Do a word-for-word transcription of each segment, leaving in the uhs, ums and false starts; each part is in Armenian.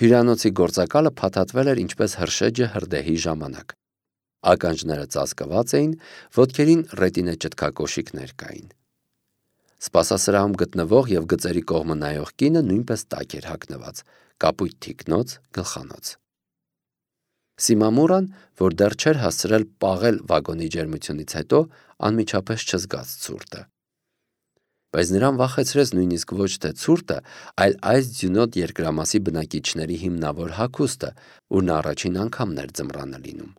Հյուրանոցի գործակալը փաթաթվել էր ինչպես հրշեջը հրդեհի ժամանակ։ Ականջները ծածկված էին, ոտքերին ռետինե ճտկակոշիկներ կային։ Սպասասրահում գտնվող և գծերի կողմը նայող կինը նույնպես տաք էր հագնված, կապույտ թիկնոց, գլխանոց։ Սիմամուրան, որ դեռ չէր հասցրել պաղել վագոնի ջերմությունից հետո, անմիջապես չզգաց ցուրտը։ Բայց նրան վախեցրեց նույնիսկ ոչ թե ցուրտը, այլ այս ձյունոտ երկրամասի բնակիչների հիմնավոր հագուստը, ուր նա առաջին անգամն էր ձմռանը լինում։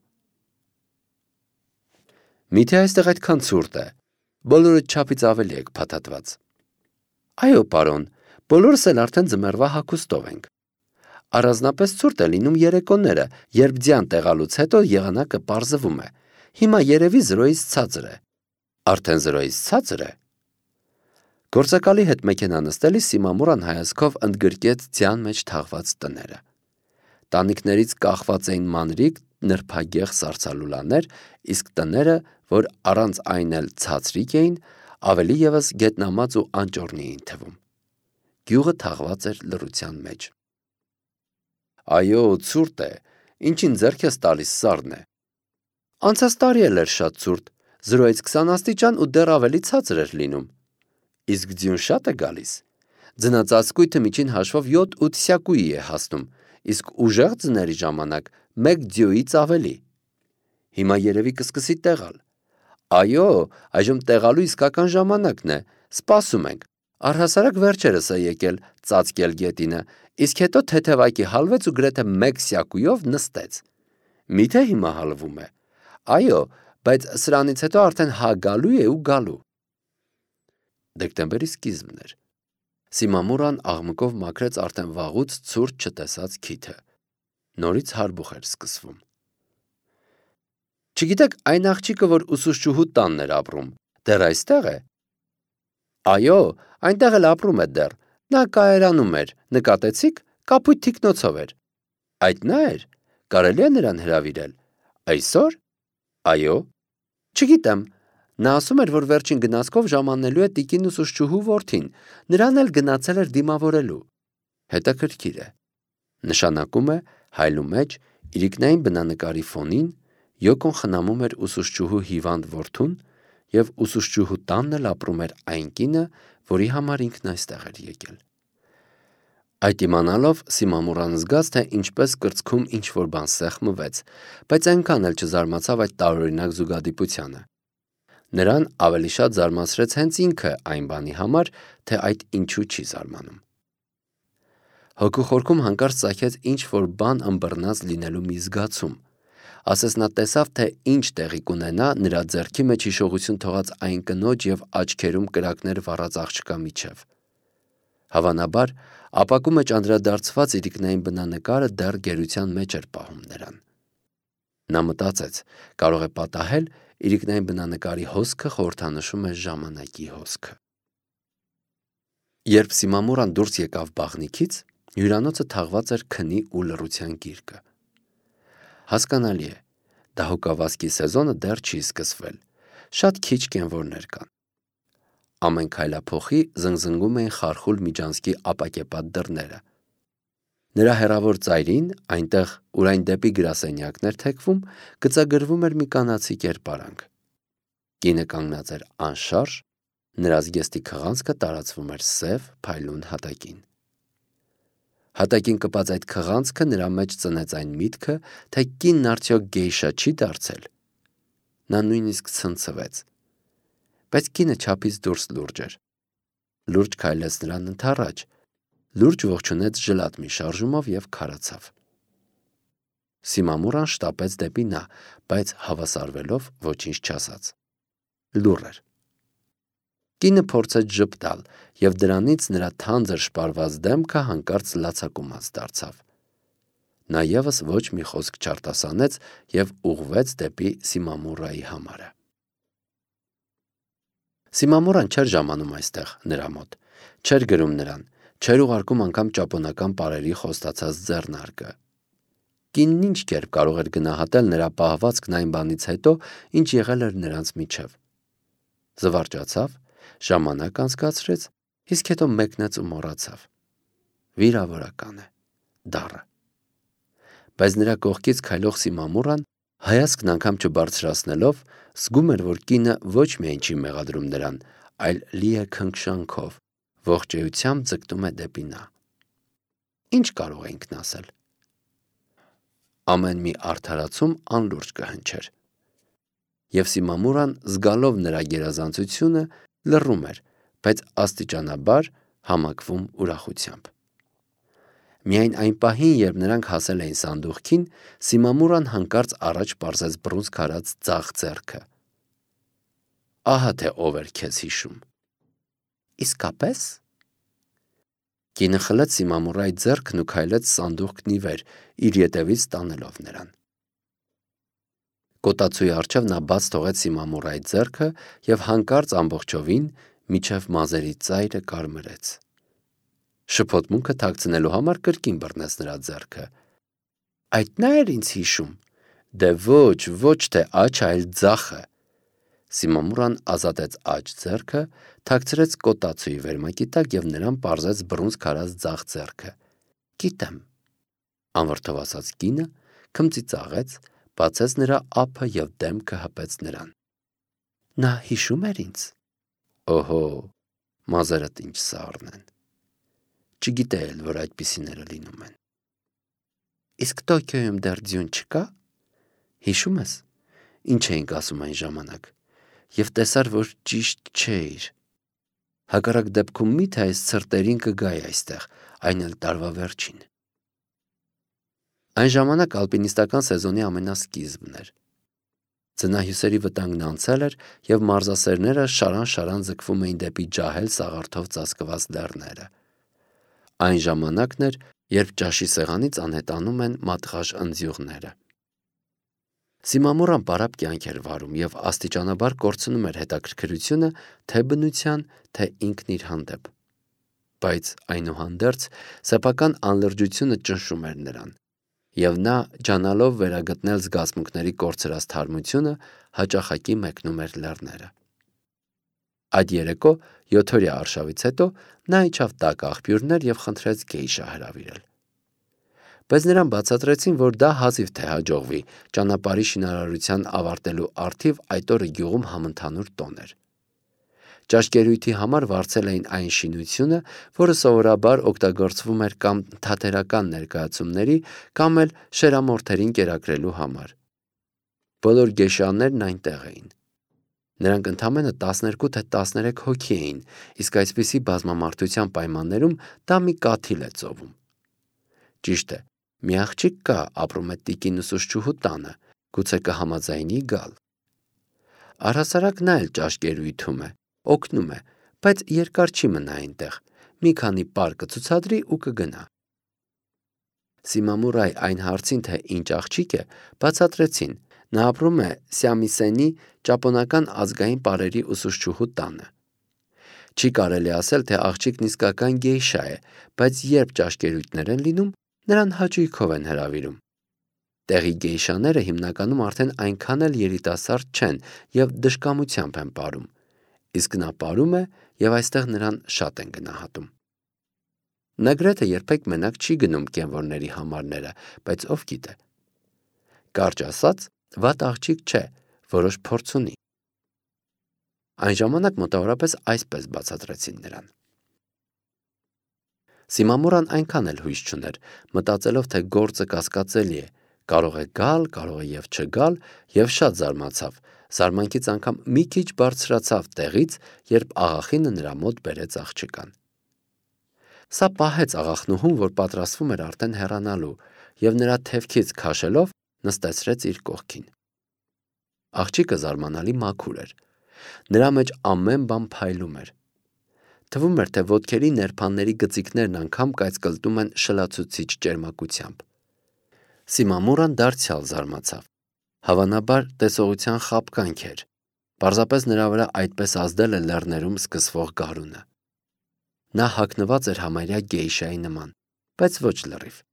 Միթե այստեղ այդքան ցուրտ է, բոլորդ չափից ավելի եք փաթաթված։ Այո, պարոն, բոլորս էլ արդեն ձմեռվա հագուստով ենք։ Առանձնապես ցուրտ է լինում երեկոները, երբ ձյան տեղալուց հետո եղանակը պարզվում է։ Հիմա երևի զրոյից ցածր է։ Արդեն զրոյից ցածր է։ Գործակալի հետ մեքենա նստելիս Սիմամուրան հայացքով ընդգրկեց ձյան մեջ թաղված տները։ Տանիքներից կախված էին մանրիկ, նրբագեղ սառցալուլաներ, իսկ տները, որ առանց այն էլ ցածրիկ էին, ավելի ևս գետնամած ու անճոռնի էին թվում։ Գյուղը թաղված էր լռության մեջ։ Այո, ցուրտ է, ինչին ձեռք ես տալիս սառն է։ Անցած տարի էլ էր շատ ցուրտ, զրոյից քսան աստիճան ու դեռ ավելի ցածր էր լինում։ Իսկ ձյուն շատ է գալիս։ Ձնածածկույթը միջին հաշվով յոթ-ութ սյակուի է հասնում, իսկ ուժեղ ձների ժամանակ մեկ ձյոյից ավելի։ Հիմա երևի կսկսի տեղալ։ Այո, այժմ տեղալու իսկական ժամանակն է, սպասում ենք։ Առհասարակ վերջերս է եկել ծածկել գետինը, իսկ հետո թեթևակի հալվեց ու գրեթե մեկ սյակույով նստեց։ Միթե հիմա հալվում է։ Այո, բայց սրանից հետո արդեն հա գալու է ու գալու։ Դեկտեմբերի սկիզբն էր։ Սիմամուրան աղմկով մաքրեց արդեն վաղուց ցուրտ չտեսած քիթը։ Նորից հարբուխ էր սկսվում։ Չգիտեք, այն աղջիկը, որ ուսուցչուհու տանն էր ապրում, դեռ այստեղ է։ Այո, այնտեղ էլ ապրում է դեռ։ Նա կայարանում էր, նկատեցիք, կապույտ թիկնոցով էր։ Այդ նա էր։ Կարելի է նրան հրավիրել։ Այսօր։ Այո։ Չգիտեմ։ Նա ասում էր, որ վերջին գնացքով ժամանելու է տիկին ուսուցչուհու որդին, նրան էլ գնացել էր դիմավորելու։ Հետաքրքիր է։ Նշանակում է հայլու մեջ իրիկնային բնանկարի ֆոնին Յոկոն խնամում էր ուսուցչուհու հիվանդ որդուն և ուսուցչուհու տանն էլ ապրում էր այն կինը, որի համար ինքն այստեղ էր եկել։ Այդ իմանալով Սիմամուրան զգաց, թե ինչպես կրծքում ինչ-որ բան սեղմվեց, բայց այնքան էլ չզարմացավ այդ տարօրինակ զուգադիպությանը։ Նրան ավելի շատ զարմացրեց հենց ինքը այն բանի համար, թե այդ ինչու չի զարմանում։ Հոգու խորքում հանկարծ ծագեց ինչ-որ բան ըմբռնած լինելու մի զգացում։ Ասես նա տեսավ, թե ինչ տեղի կունենա նրա ձեռքի մեջ հիշողություն թողած այն կնոջ և աչքերում կրակներ վառած աղջկա միջև։ Հավանաբար, ապակու մեջ անդրադարձված իրիկնային բնանկարը դեռ գերության մեջ էր պահում նրան։ Նա մտածեց, կարող է պատահել իրիկնային բնանկարի հոսքը խորհրդանշում է ժամանակի հոսքը։ Երբ Սիմամուրան դուրս եկավ բաղնիքից, հյուրանոցը թաղված էր քնի ու լռության գիրկը։ Հասկանալի է, դահուկավազքի սեզոնը դեռ չի սկսվել, շատ քիչ կենվորներ կան։ Ամեն քայլափոխի զնգզնգում էին խարխուլ միջանցքի ապակեպատ դռները։ Նրա հեռավոր ծայրին, այնտեղ, ուր այն դեպի գրասենյակներ թեքվում, գծագրվում էր մի կանացի կերպարանք։ Կինը կանգնած էր անշարժ, նրա զգեստի քղանցքը տարածվում էր սև, փայլուն հատակին։ Հատակին կպած այդ քղանցքը նրա մեջ ծնեց այն միտքը, թե կինն արդյոք գեյշա չի դարձել։ Նա նույնիսկ ցնցվեց։ Բայց կինը չափից դուրս լուրջ էր։ Լուրջ քայլեց նրան ընդառաջ, լուրջ ողջունեց ժլատ մի շարժումով և քարացավ։ Սիմամուրան շտապեց դեպի նա, բայց հավասարվելով ոչինչ չասաց։ Լուռ էր։ Կինը փորձեց ժպտալ, և դրանից նրա թանձր շպարված դեմքը հանկարծ լացակումած դարձավ։ Նա ևս ոչ մի խոսք չարտասանեց և ուղղվեց դեպի Սիմամուրայի համարը։ Սիմամուրան չէր ժամանում այստեղ նրա մոտ, չէր գրում նրան, չէր ուղարկում անգամ ճապոնական պարերի խոստացած ձեռնարկը։ Կինն ինչ կերպ կարող էր գնահատել նրա պահվածքն այն բանից հետո, ինչ եղել էր նրանց միջև։ Զվարճացավ, ժամանակ անցկացրեց, իսկ հետո մեկնեց ու մոռացավ։ Վիրավորական է, դառը։ Բայց նրա կողքից քայլող Սիմամուրան հայացքն անգամ չբարձրացնելով զգում էր, որ կինը ոչ միայն չի մեղադրում նրան, այլ լի է քնքշանքով, ողջեյությամբ ձգտում է դեպի նա։ Ինչ կարող է ինքն ասել։ Ամեն մի արդարացում անլուրջ կհնչեր։ Եվ Սիմամուրան, զգալով նրա գերազանցությունը, լռում էր, բայց աստիճանաբար համակվում ուրախությամբ։ Միայն այն պահին, երբ նրանք հասել էին սանդուղքին, Սիմամուրան հանկարծ առաջ պարզեց բռունցք արած ձախ ձեռքը։ Ահա թե ով էր քեզ հիշում։ Իսկապես։ Կինը խլեց Սիմամուրայի ձեռքն ու քայլեց սանդուղքն ի վեր, իր ետևից տանելով նրան։ Կոտացուի առջև նա բաց թողեց Սիմամուրայի ձեռքը և հանկարծ ամբողջովին մինչև մազերի ծայրը կարմրեց։ Շփոթմունքը թաքցնելու համար կրկին բռնեց նրա ձեռքը։ Այդ նա էր ինձ հիշում։ Դե ոչ, ոչ թե աջ, այլ ձախը։ Սիմամուրան ազատեց աջ ձեռքը, թաքցրեց կոտացուի վերմակի տակ և նրան պարզեց բռունցք արած ձախ ձեռքը։ Գիտեմ, անվրդով ասաց կինը, քմծիծաղեց, բացեց նրա ափը և դեմքը հպեց նրան։ Նա հիշում էր ինձ։ Օհո, մազերդ ինչ սառն են։ Չգիտեի էլ, որ այդպիսիները լինում են։ Իսկ Տոկիոյում դեռ ձյուն չկա։ Հիշում ես, ինչ էինք ասում այն ժամանակ, և տեսար, որ ճիշտ չէիր։ Հակառակ դեպքում մի՞թե այս ցրտերին կգայի այստեղ, այն էլ տարվա վերջին։ Այն ժամանակ ալպինիստական սեզոնի ամենասկիզբն էր։ Ձնահյուսերի վտանգն անցել էր, և մարզասերները շարան-շարան ձգվում էին դեպի ջահել սաղարթով ծածկված լեռները։ Այն ժամանակն էր, երբ ճաշի սեղանից անհետանում են մատղաշ ընձյուղները։ Սիմամուրան պարապ կյանք էր վարում և աստիճանաբար կորցնում էր հետաքրքրությունը թե բնության, թե ինքն իր հանդեպ։ Բայց այնուհանդերձ սեփական անլրջությունը ճնշում էր նրան, և նա, ջանալով վերագտնել զգացմունքների կորցրած թարմությունը, հաճախակի մեկնում էր լեռները։ Այդ երեկո յոթօրյա արշավից հետո նա իջավ տաք աղբյուրներ և խնդրեց գեյշա հրավիրել։ Բայց նրան բացատրեցին, որ դա հազիվ թե հաջողվի, ճանապարհի շինարարության ավարտելու առթիվ այդ օրը գյուղում համընդհանուր տոն էր։ Ճաշկերույթի համար վարձել էին այն շինությունը, որը սովորաբար օգտագործվում էր կամ թատերական ներկայացումների, կամ էլ շերամորթերին կերակրելու համար։ Բոլոր գեյշաներն այնտեղ էին։ Նրանք ընդամենը տասներկու թե տասներեք հոգի էին, իսկ այսպիսի բազմամարդության պայմաններում դա մի կաթիլ է ծովում։ Ճիշտ է, մի աղջիկ կա, ապրում է տիկին ուսուցչուհու տանը, գուցե կհամաձայնի գալ։ Առհասարակ նա էլ ճաշկերույթում է, օգնում է, բայց երկար չի մնա այնտեղ, մի քանի պար կցուցադրի ու կգնա։ Սիմամուրայի այն հարցին, թե ինչ աղջիկ է, բացատրեցին, նա ապրում է Սյամիսենի ճապոնական ազգային պարերի ուսուցչուհու տանը։ Չի կարելի ասել, թե աղջիկն իսկական գեյշա է, բայց երբ ճաշկերույթներ են լինում, նրան հաճույքով են հրավիրում։ Տեղի գեյշաները հիմնականում արդեն այնքան էլ երիտասարդ չեն և դժկամությամբ են պարում, իսկ նա պարում է և այստեղ նրան շատ են գնահատում։ Նա գրեթե երբեք մենակ չի գնում կենվորների համարները, բայց ով գիտե։ Կարճ ասած, վատ աղջիկ չէ, որոշ փորձ ունի։ Այն ժամանակ մոտավորապես այսպես բացատրեցին նրան։ Սիմամուրան այնքան էլ հույս չուներ, մտածելով, թե գործը կասկածելի է, կարող է գալ, կարող է և չգալ, և շատ զարմացավ, զարմանքից անգամ մի քիչ բարձրացավ տեղից, երբ աղախինը նրա մոտ բերեց աղջկան։ Սա պահեց աղախնուհուն, որ պատրաստվում էր արդեն հեռանալու, և նրա թևքից քաշելով նստեցրեց իր կողքին։ Աղջիկը զարմանալի մաքուր էր։ Նրա մեջ ամեն բան փայլում էր։ Թվում էր, թե ոտքերի ներփանների գծիկներն անգամ կայծկլտում են շլացուցիչ ճերմակությամբ։ Սիմամուրան դարձյալ զարմացավ։ Հավանաբար տեսողության խաբկանք էր։ Պարզապես նրա վրա այդպես ազդել է լեռներում սկսվող գարունը։ Նա հագնված էր համարյա գեյշայի նման, բայց ոչ լրիվ։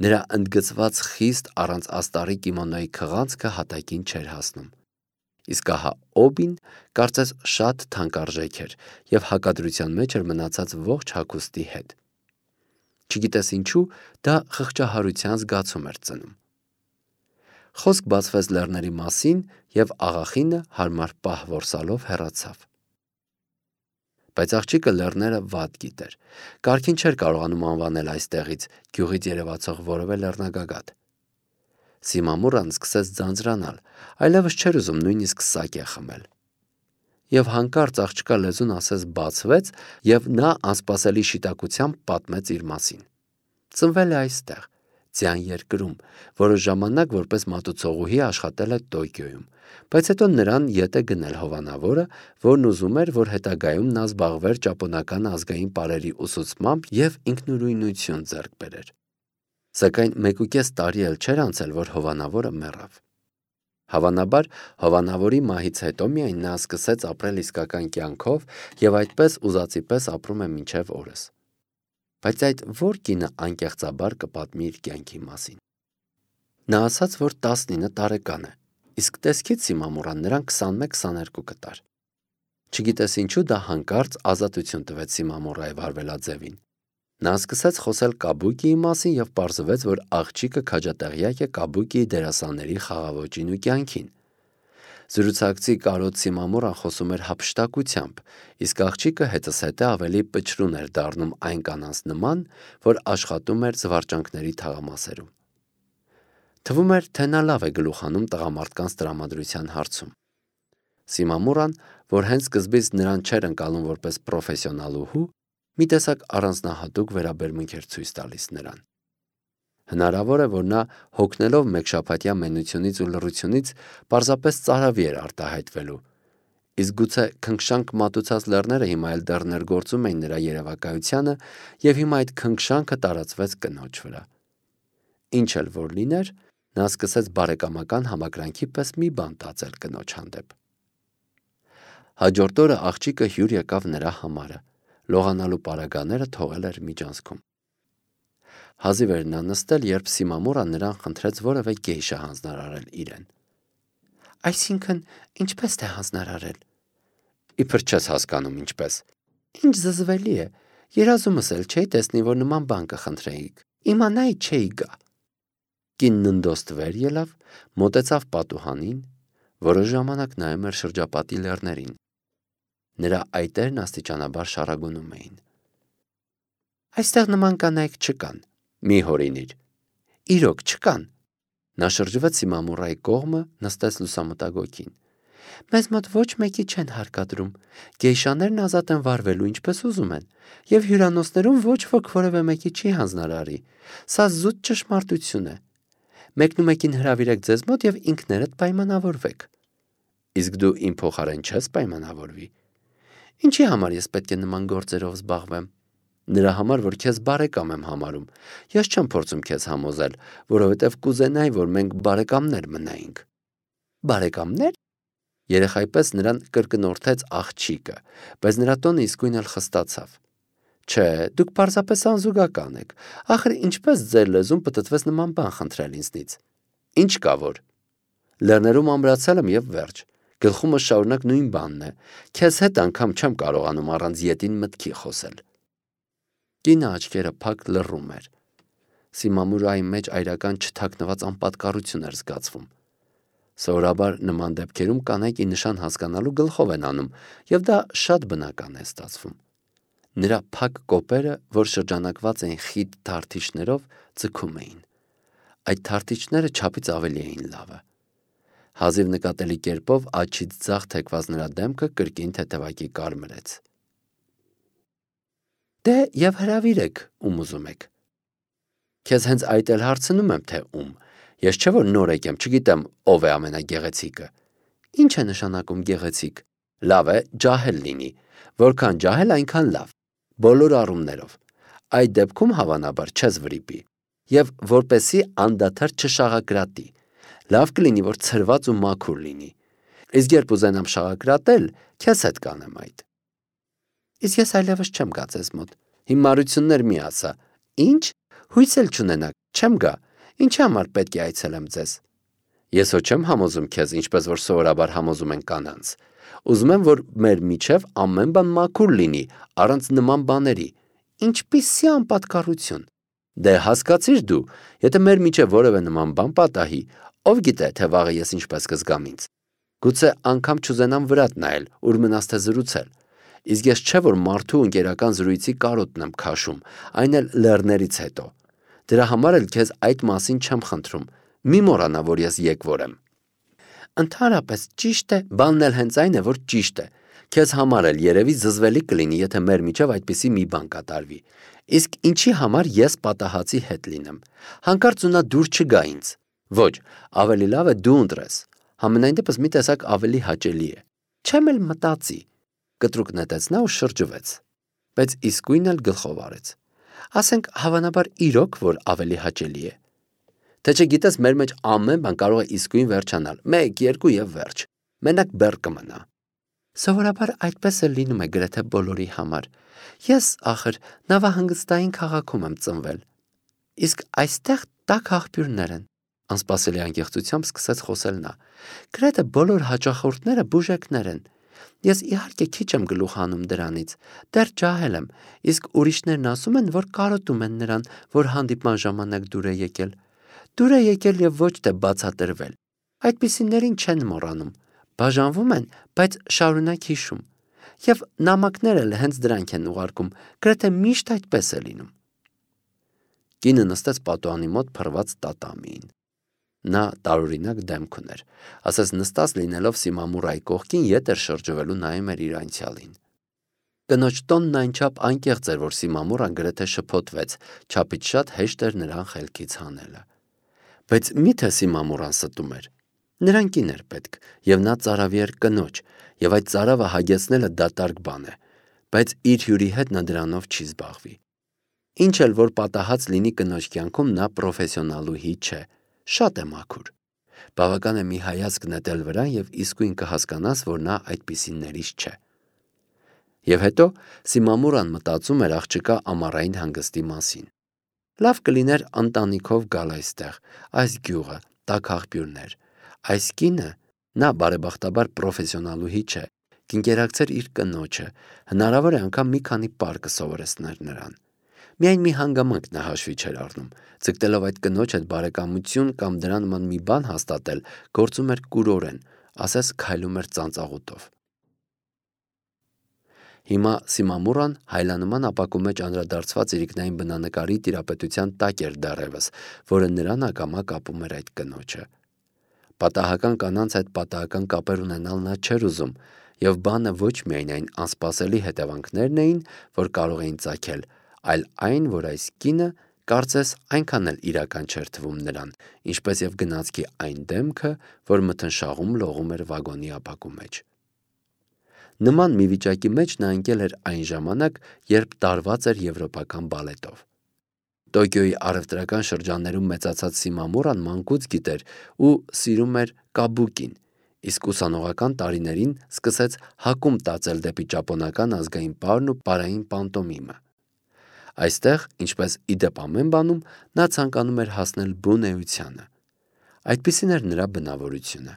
Նրա ընդգծված խիստ առանց աստառի կիմոնոյի քղանցքը հատակին չէր հասնում։ Իսկ ահա օբին կարծես շատ թանկարժեք էր և հակադրության մեջ էր մնացած ողջ հագուստի հետ։ Չգիտես ինչու, դա խղճահարության զգացում էր ծնում։ Խոսք բացվեց լեռների մասին, եւ աղախինը հարմար պահ որսալով հեռացավ։ Բայց աղջիկը լեռները վատ գիտեր։ Կարգին չէր կարողանում անվանել այստեղից գյուղից երևացող որևէ լեռնագագաթ։ Սիմամուրան սկսեց ձանձրանալ, այլևս չէր ուզում նույնիսկ սակե խմել։ Եվ հանկարծ աղջկա լեզուն ասես բացվեց, եւ նա անսպասելի շիտակությամբ պատմեց իր մասին։ Ծնվել է այստեղ, ձյան երկրում, որոշ ժամանակ որպես մատուցողուհի աշխատել է Տոկիոյում, բայց հետո նրան ետ է գնել հովանավորը, որն ուզում էր, որ հետագայում նա զբաղվեր ճապոնական ազգային պարերի ուսուցմամբ եւ ինքնուրույնություն ձեռք բերեր։ Սակայն մեկուկես տարի էլ չէր անցել, որ հովանավորը մեռավ։ Հավանաբար, հովանավորի մահից հետո միայն նա սկսեց ապրել իսկական կյանքով եւ այդպես ուզածի պես ապրում է մինչեւ օրս։ Բայց այդ ո՞ր կինը անկեղծաբար կպատմի իր կյանքի մասին։ Նա ասաց, որ տասնինը տարեկան է, իսկ տեսքից Սիմամուրան նրան քսանմեկ քսաներկու կտար։ Չգիտես ինչու դա հանկարծ ազատություն տվեց Սիմամուրայի վարվելաձևին։ Նա սկսեց խոսել Կաբուկիի մասին եւ պարզվեց, որ աղջիկը քաջատեղյակ է Կաբուկիի դերասանների խաղաոճին ու կյանքին։ Զրուցակցի կարոտ Սիմամուրան խոսում էր հափշտակությամբ, իսկ աղջիկը հետզհետե ավելի պչրուն էր դառնում այն կանանց նման, որ աշխատում էր զվարճանքների թաղամասերում։ Թվում էր, թե նա լավ է գլուխանում տղամարդկանց տրամադրության հարցում։ Սիմամուրան, որ հենց սկզբից նրան չէր ընկալում որպես պրոֆեսիոնալուհու, մի տեսակ առանձնահատուկ վերաբերմունք էր ցույց տալիս նրան։ Հնարավոր է, որ նա հոգնելով մեկշաբաթյա մենությունից ու լռությունից պարզապես ծարավի էր արտահայտվելու, իսկ գուցե քնքշանք մատուցած լեռները հիմա էլ դեռ ներգործում էին նրա երևակայությանը, եւ հիմա այդ քնքշանքը տարածվեց կնոջ վրա։ Ինչ էլ որ լիներ, նա սկսեց բարեկամական համակրանքի պես մի բան տածել կնոջ հանդեպ։ Հաջորդ օրը աղջիկը հյուր եկավ նրա համարը, լողանալու պարագաները թողել էր միջանցքում։ Հազիվ էր նա նստել, երբ Սիմամուրան նրան խնդրեց որևէ գեյշա հանձնարարել իրեն։ Այսինքն, ինչպես թե հանձնարարել։ Իբր չես հասկանում ինչպես։ Ինչ զզվելի է, երազումս էլ չէի տեսնի, որ նման բան կխնդրեիք, իմանայի չէի գա։ Կինն ընդոստ վեր ելավ, մոտեցավ պատուհանին, որոշ ժամանակ նայում էր շրջապատի լեռներին։ Նրա այտերն աստիճանաբար շարագունում էին։ Այստեղ նման կանայք չկան, մի հորինիր։ Իրոք չկան։ Նա շրջվեց Սիմամուրայի կողմը, նստեց լուսամուտագոգին։ Մեզ մոտ ոչ մեկի չեն հարկադրում, գեյշաներն ազատ են վարվելու ինչպես ուզում են, եւ հյուրանոցներում ոչ ոք որևէ մեկի չի հանձնարարի։ Սա զուտ ճշմարտություն է։ Մեկնումեկին հրավիրեք ձեզ մոտ եւ ինքներդ պայմանավորվեք։ Իսկ դու իմ փոխարեն չես պայմանավորվի։ Ինչի համար ես պետք է նման գործերով զբաղվեմ։ Նրա համար, որ քեզ բարեկամ եմ համարում, ես չեմ փորձում քեզ համոզել, որովհետև կուզենայի, որ մենք բարեկամներ մնայինք։ Բարեկամներ։ Երեխայի պես նրան կրկնորդեց աղջիկը, բայց նրա տոնը իսկույն էլ խստացավ։ Չէ, դուք պարզապես անզուգական եք։ Ախր ինչպես ձեր լեզուն պտտվեց նման բան խնդրել ինձնից։ Ինչ կա որ։ Լեռներում ամրացել եմ եւ վերջ։ Գլխումս շարունակ նույն բանն է։ Քեզ հետ անգամ չեմ կարողանում առանց ետին մտքի խոսել։ Կինը աչքերը փակ լռում էր։ Սիմամուրայի մեջ այրական չթաքնված անպատկառություն էր զգացվում։ Սովորաբար նման դեպքերում կանայք ի նշան հասկանալու գլխով են անում, եւ դա շատ բնական է ստացվում։ Նրա փակ կոպերը, որ շրջանակված էին խիտ թարթիչներով, ձգում էին։ Այդ թարթիչները չափից ավելի էին լավը։ Հազիվ նկատելի կերպով աչից ձախ թեքված նրա դեմքը կրկին թեթևակի կարմրեց։ Դե եւ հրավիրեք, ում ուզում եք։ Քեզ հենց այդ էլ հարցնում եմ, թե ում։ Ես չէ որ նոր եկեմ, չգիտեմ ով է ամենագեղեցիկը։ Ինչ է նշանակում գեղեցիկ։ Լավ է, ջահել լինի։ Որքան ջահել, այնքան լավ։ Բոլոր առումներով։ Այդ դեպքում հավանաբար չես վրիպի։ Եվ որպեսի անդադար չշաղակրատի։ Լավ կլինի, որ ցրված ու մաքուր լինի։ Իսկ երբ ուզենամ շաղակրատել, քեզ հետ կանեմ այդ։ Իսկ ես այլևս չեմ գա ձեզ մոտ։ Հիմարություններ մի ասա։ Ինչ։ Հույս էլ չունենաք, չեմ գա։ Ինչի համար պետք է այցելեմ ձեզ։ Ես հո չեմ համոզում քեզ, ինչպես որ սովորաբար համոզում են կանանց։ Ուզում եմ, որ մեր միջև ամեն բան մաքուր լինի, առանց նման բաների։ Ինչպիսի անպատկառություն։ Դե հասկացիր դու, եթե մեր միջև որևէ նման բան պատահի, ով գիտե, թե վաղը ես ինչպես կզգամ ինձ։ Գուցե անգամ չուզենամ վրատ նայել, ուր մնաց թե զրուցել։ Իսկ ես չէ որ մարդու ընկերական զրույցի կարոտն եմ քաշում, այն էլ լեռներից հետո։ Դրա համար էլ քեզ այդ մասին չեմ խնդրում։ Մի մոռանա, որ ես եկվոր եմ։ Ընդհանրապես ճիշտ է, բանն էլ հենց այն է, որ ճիշտ է։ Քեզ համար էլ երևի զզվելի կլինի, եթե մեր միջև այդպիսի մի բան կատարվի։ Իսկ ինչի համար ես պատահածի հետ լինեմ։ Հանկարծ նա դուր չգա ինձ։ Ոչ, ավելի լավ է դու ընտրես։ Համենայն դեպս մի տեսակ ավելի հաճելի է։ Չեմ էլ մտածի։ Կտրուկ նետեց նա ու շրջվեց։ Բայց իսկույն էլ գլխով արեց։ Ասենք հավանաբար իրոք, որ ավելի հաճելի է։ Թե չգիտես, մեր մեջ ամեն բան կարող է իսկույն վերջանալ, մեկ, երկու եւ վերջ։ Մենակ բեռ կմնա։ Սովորաբար այդպես է լինում է գրեթե բոլորի համար։ Ես, ախր, նավահանգստային քաղաքում եմ ծնվել։ Իսկ այստեղ տաք աղբյուրներ են։ Անսպասելի անկեղծությամբ սկսեց խոսել նա։ Գրեթե բոլոր հաճախորդները բուժեկներ են։ Ես իհարկե քիչ եմ գլուխ հանում դրանից, դեռ ջահել եմ, իսկ ուրիշներն ասում են, որ կարոտում են նրան, որ հանդիպման ժամանակ դուր է եկել։ Դուր է եկել եւ ոչ թե բացատրվել։ Այդպիսիներին չեն մոռանում, բաժանվում են, բայց շարունակ հիշում։ Եվ նամակներ էլ հենց դրանք են ուղարկում, գրեթե միշտ այդպես է լինում։ Կինը նստեց պատուհանի մոտ փռված տատամիին։ Նա տարօրինակ դեմք ուներ, ասես նստած լինելով Սիմամուրայի կողքին ետ էր շրջվելու նայում էր իր անցյալին։ Կնոջ տոնն այնչափ անկեղծ էր, որ Սիմամուրան գրեթե շփոթվեց, չափից շատ հեշտ էր նրան խելքից հանելը։ Բայց մի՞թե Սիմամուրան ստում էր։ Նրան կին էր պետք, եւ նա ծարավի էր կնոջ, եւ այդ ծարավը հագեցնելը դատարկ բան է, բայց իր հյուրի հետ նա դրանով չի զբաղվի։ Ինչ էլ որ պատահած լինի կնոջ կյանքում, նա պրոֆեսիոնալուհի չէ, շատ է մաքուր։ Բավական է մի հայացք նետել վրան եւ իսկույն կհասկանաս, որ նա այդպիսիներից չէ։ Եվ հետո Սիմամուրան մտածում էր աղջկա ամառային հանգստի մասին։ Լավ կլիներ ընտանիքով գալ այստեղ, այս գյուղը, տաք աղբյուրներ։ Այս կինը, նա բարեբախտաբար պրոֆեսիոնալուհի չէ, կընկերակցեր իր կնոջը, հնարավոր է անգամ մի քանի պար կսովորեցներ նրան։ Միայն մի հանգամանք նա հաշվի չէր առնում, ձգտելով այդ կնոջ հետ բարեկամություն կամ դրա նման մի բան հաստատել, գործում էր կուրորեն, ասես քայլում էր ծանծաղուտով։ Հիմա Սիմամուրան հայլանման ապակու մեջ անդրադարձված իրիկնային բնանկարի տիրապետության տակ էր դեռևս, որը նրան ակամա կապում էր այդ կնոջը։ Պատահական կանանց այդ պատահական կապեր ունենալ նա չէր ուզում, եւ բանը ոչ միայն այն անսպասելի հետևանքներն էին, որ կարող էին ծագել, այլ այն, որ այս կինը կարծես այնքան էլ իրական չէր թվում նրան, ինչպես եւ գնացքի այն դեմքը, որ մթնշաղում լողում էր վագոնի ապակու մեջ։ Նման մի վիճակի մեջ նա ընկել էր այն ժամանակ, երբ տարված էր եվրոպական բալետով։ Տոկիոյի առևտրական շրջաններում մեծացած Սիմամուրան մանկուց գիտեր ու սիրում էր կաբուկին, իսկ ուսանողական տարիներին սկսեց հակում տածել դեպի ճապոնական ազգային պարն ու պարային պանտոմիմը։ Այստեղ, ինչպես իդեպ ամեն բանում, նա ցանկանում էր հասնել բուն էությանը։ Այդպիսին էր նրա բնավորությունը։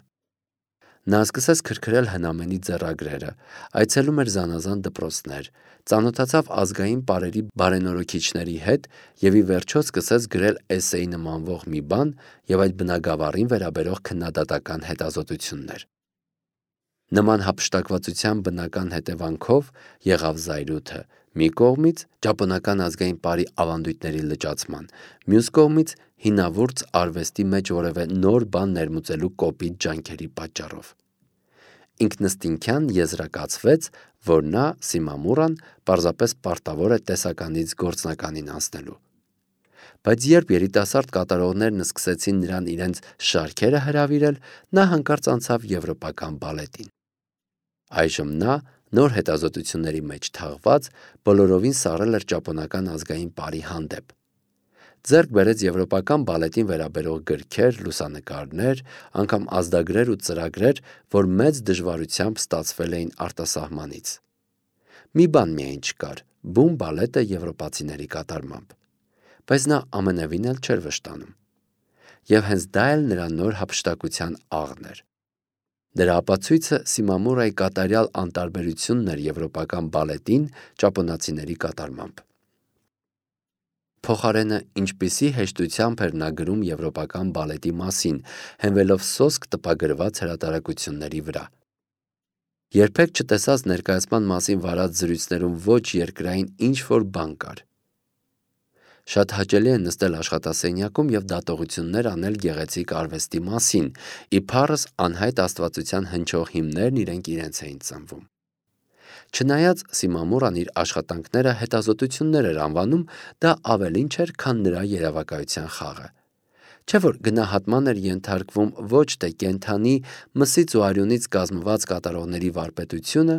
Նա սկսեց քրքրել հնամենի ձեռագրերը, այցելում էր զանազան դպրոցներ, ծանոթացավ ազգային պարերի բարենորոքիչների հետ եւ ի վերջո սկսեց գրել էսեի նմանվող մի բան եւ այդ բնագավառին վերաբերող քննադատական հետազոտություններ։ Նման հափշտակվածության բնական հետևանքով եղավ զայրույթը մի կողմից ճապոնական ազգային պարի ավանդույթների լճացման, մյուս կողմից հինավուրց արվեստի մեջ որևէ նոր բան ներմուծելու կոպիտ ջանքերի պատճառով։ Ինքնըստինքյան եզրակացվեց, որ նա Սիմամուրան պարզապես պարտավոր է տեսականից գործնականին անցնելու։ Բայց երբ երիտասարդ կատարողներն սկսեցին նրան իրենց շարքերը հրավիրել, նա հանկարծ անցավ եվրոպական բալետին։ Այժմ նա, նոր հետազոտությունների մեջ թաղված, բոլորովին սառել էր ճապոնական ազգային պարի հանդեպ։ Ձեռք բերեց եվրոպական բալետին վերաբերող գրքեր, լուսանկարներ, անգամ ազդագրեր ու ծրագրեր, որ մեծ դժվարությամբ ստացվել էին արտասահմանից։ Մի բան միայն չկար՝ բուն բալետը եվրոպացիների կատարմամբ։ Բայց նա ամենևին էլ չէր վշտանում։ Եվ հենց դա էլ նրա նոր հափշտակության աղն էր։ Դրա ապացույցը Սիմամուրայի կատարյալ անտարբերությունն էր եվրոպական բալետին ճապոնացիների կատարմամբ։ փոխարենը ինչպիսի հեշտությամբ էր նա գրում եվրոպական բալետի մասին, հենվելով սոսկ տպագրված հրատարակությունների վրա։ Երբեք չտեսած ներկայացման մասին վարած զրույցներում ոչ երկրային ինչ-որ բան կար։ Շատ հաճելի է նստել աշխատասենյակում և դատողություններ անել գեղեցիկ արվեստի մասին, իբարս անհայտ աստվածության հնչող հիմներն իրենք իրենց էին ծնվում։ Չնայած Սիմամուրան իր աշխատանքները հետազոտություններ էր անվանում, դա ավելին չէր, քան նրա երևակայության խաղը։ Չէ՞ որ գնահատման էր ենթարկվում ոչ թե կենդանի մսից ու արյունից կազմված կատարողների վարպետությունը,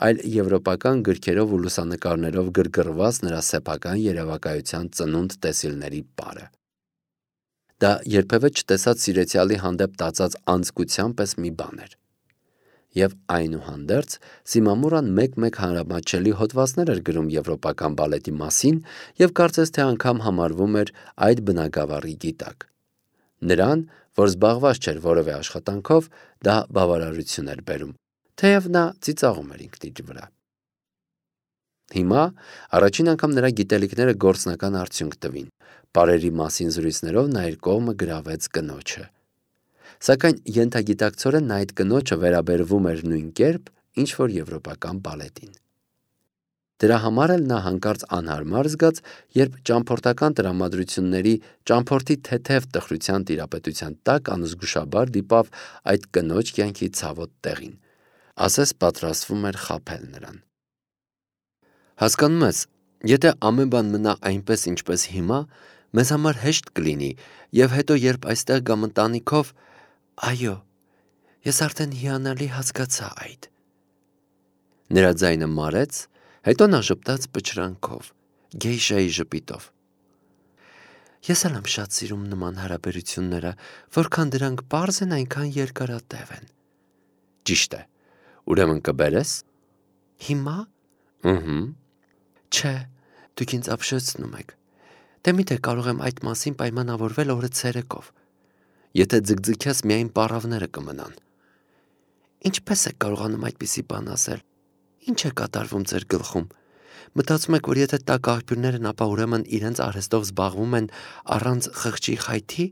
այլ եվրոպական գրքերով ու լուսանկարներով գրգռված նրա սեփական երևակայության ծնունդ տեսիլների պարը։ Դա երբևէ չտեսած սիրեցյալի հանդեպ տածած անձկության պես մի բան էր։ Եվ այնուհանդերձ Սիմամուրան մեկ-մեկ հանրամատչելի հոդվածներ էր գրում եվրոպական բալետի մասին և կարծես թե անգամ համարվում էր այդ բնագավառի գիտակ։ Նրան, որ զբաղված չէր որևէ աշխատանքով, դա բավարարություն էր բերում, թեև նա ծիծաղում էր ինքն իր վրա։ Հիմա առաջին անգամ նրա գիտելիքները գործնական արդյունք տվին։ Պարերի մասին զրույցներով նա իր կողմը գրավեց կնոջը։ Սակայն ենթագիտակցորեն նա այդ կնոջը վերաբերվում էր նույն կերպ, ինչ որ եվրոպական բալետին։ Դրա համար էլ նա հանկարծ անհարմար զգաց, երբ ճամփորդական տրամադրությունների ճամփորդի թեթև տխրության տիրապետության տակ անզգուշաբար դիպավ այդ կնոջ կյանքի ցավոտ տեղին, ասես պատրաստվում էր խաբել նրան։ Հասկանում ես, եթե ամեն բան մնա այնպես, ինչպես հիմա, մեզ համար հեշտ կլինի, և հետո երբ այստեղ գամ ընտանիքով, այո, ես արդեն հիանալի հասկացա այդ։ Նրա ձայնը մարեց, հետո նա ժպտաց պչրանքով, գեյշայի ժպիտով։ Ես էլ եմ շատ սիրում նման հարաբերությունները, որքան դրանք պարզ են, այնքան երկարատև են։ Ճիշտ է, ուրեմն կբերես։ Հիմա։ Ըհը։ Չէ, դուք ինձ ապշեցնում եք։ Դե միթե կարող եմ այդ մասին պայմանավորվել օրը ցերեկով։ Եթե ձգձգես, միայն պառավները կմնան։ Ինչպես եք կարողանում այդպիսի բան ասել։ Ինչ է կատարվում ձեր գլխում։ Մտածում եք, որ եթե տաք աղբյուրներն, ապա ուրեմն իրենց արհեստով զբաղվում են առանց խղճի խայթի։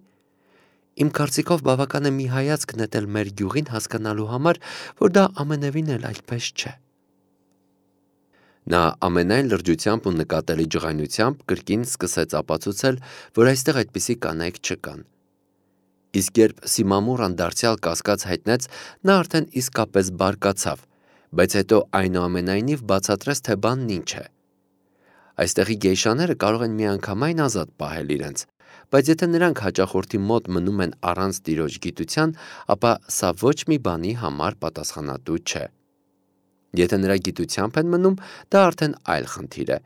Իմ կարծիքով բավական է մի հայացք նետել մեր գյուղին հասկանալու համար, որ դա ամենևին էլ այդպես չէ։ Նա ամենայն լրջությամբ ու նկատելի ջղայնությամբ կրկին սկսեց ապացուցել, որ այստեղ այդպիսի կանայք չկան։ Իսկ երբ Սիմամուրան դարձյալ կասկած հայտնեց, նա արդեն իսկապես բարկացավ, բայց հետո այնուամենայնիվ բացատրեց, թե բանն ինչ է։ Այստեղի գեյշաները կարող են միանգամայն ազատ պահել իրենց, բայց եթե նրանք հաճախորդի մոտ մնում են առանց տիրոջ գիտության, ապա սա ոչ մի բանի համար պատասխանատու չէ։ Եթե նրա գիտությամբ են մնում, դա արդեն այլ խնդիր է։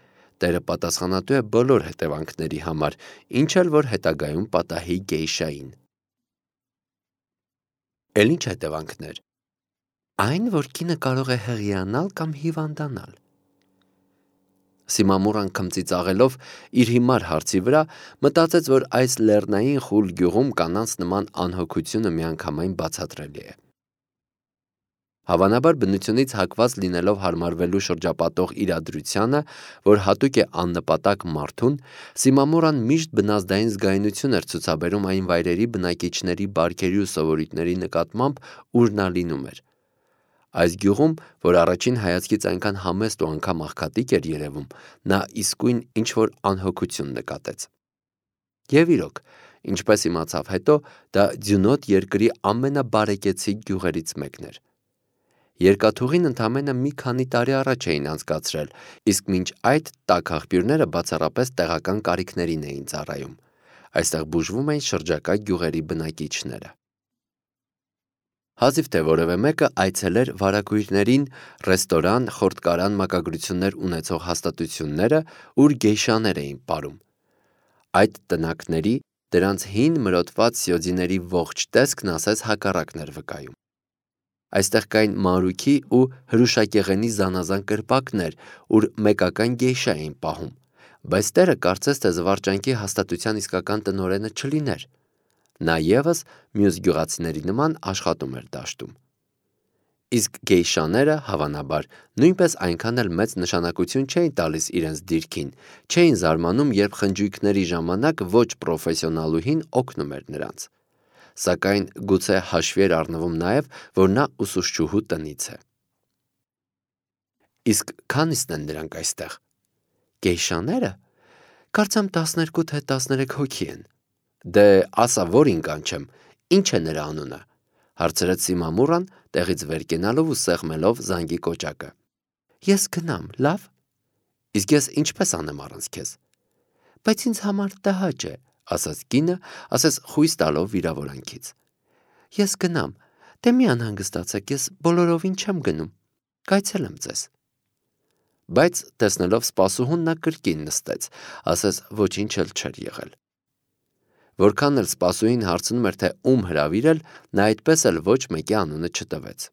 Տերը պատասխանատու է բոլոր հետևանքների համար, ինչ էլ որ հետագայում պատահի գեյշային։ Էլ ինչ հետևանքներ։ Այն, որ կինը կարող է հղիանալ կամ հիվանդանալ։ Սիմամուրան քմծիծաղելով իր հիմար հարցի վրա մտածեց, որ այս լեռնային խուլ գյուղում կանանց նման անհոգությունը միանգամայն բացատրելի է։ Հավանաբար բնությունից հակված լինելով հարմարվելու շրջապատող իրադրությանը, որ հատուկ է աննպատակ մարդուն, Սիմամուրան միշտ բնազդային զգայունություն էր ցուցաբերում այն վայրերի բնակիչների բարքերի ու սովորույթների նկատմամբ, ուր նա լինում էր։ Այս գյուղում, որ առաջին հայացքից այնքան համեստ ու անգամ աղքատիկ էր երևում, նա իսկույն ինչ-որ անհոգություն նկատեց։ Եվ իրոք, ինչպես իմացավ հետո, դա ձյունոտ երկրի ամենաբարեկեցիկ գյուղերից մեկն էր։ Երկաթուղին ընդամենը մի քանի տարի առաջ էին անցկացրել, իսկ մինչ այդ տաք աղբյուրները բացառապես տեղական կարիքներին էին ծառայում։ Այստեղ բուժվում էին շրջակա գյուղերի բնակիչները։ Հազիվ թե որևէ մեկը այցելեր վարագույրներին, ռեստորան, խորտկարան մակագրություններ ունեցող հաստատությունները, ուր գեյշաներ էին պարում։ Այդ տնակների, դրանց հին մրոտված սյոձիների ողջ տեսքն ասես հակառակն էր վկայում։ Այստեղ կային մանրուքի ու հրուշակեղենի զանազան կրպակներ, ուր մեկական գեյշա էին պահում, բայց տերը կարծես թե զվարճանքի հաստատության իսկական տնօրենը չլիներ։ Նա ևս մյուս գյուղացիների նման աշխատում էր դաշտում։ Իսկ գեյշաները, հավանաբար, նույնպես այնքան էլ մեծ նշանակություն չէին տալիս իրենց դիրքին, չէին զարմանում, երբ խնջույքների ժամանակ ոչ պրոֆեսիոնալուհին օգնում էր նրանց։ Սակայն գուցե հաշվի էր առնվում նաև, որ նա ուսուցչուհու տնից է։ Իսկ քանիսն են նրանք այստեղ։ Գեյշաները։ Կարծեմ տասներկու թե տասներեք հոգի են։ Դե ասա, որին կանչեմ, ինչ է նրա անունը, հարցրեց Սիմամուրան, տեղից վեր կենալով ու սեղմելով զանգի կոճակը։ Ես գնամ, լավ։ Իսկ ես ինչպես անեմ առանց քեզ։ Բայց ինձ համար տհաճ է, ասաց կինը, ասես խույս տալով վիրավորանքից։ Ես գնամ, դե մի անհանգստացեք, ես բոլորովին չեմ գնում, կայցելեմ ձեզ։ Բայց տեսնելով սպասուհուն նա կրկին նստեց, ասես ոչինչ էլ չէր եղել։ Որքան էլ սպասուհին հարցնում էր, թե ում հրավիրել, նա այդպես էլ ոչ մեկի անունը չտվեց։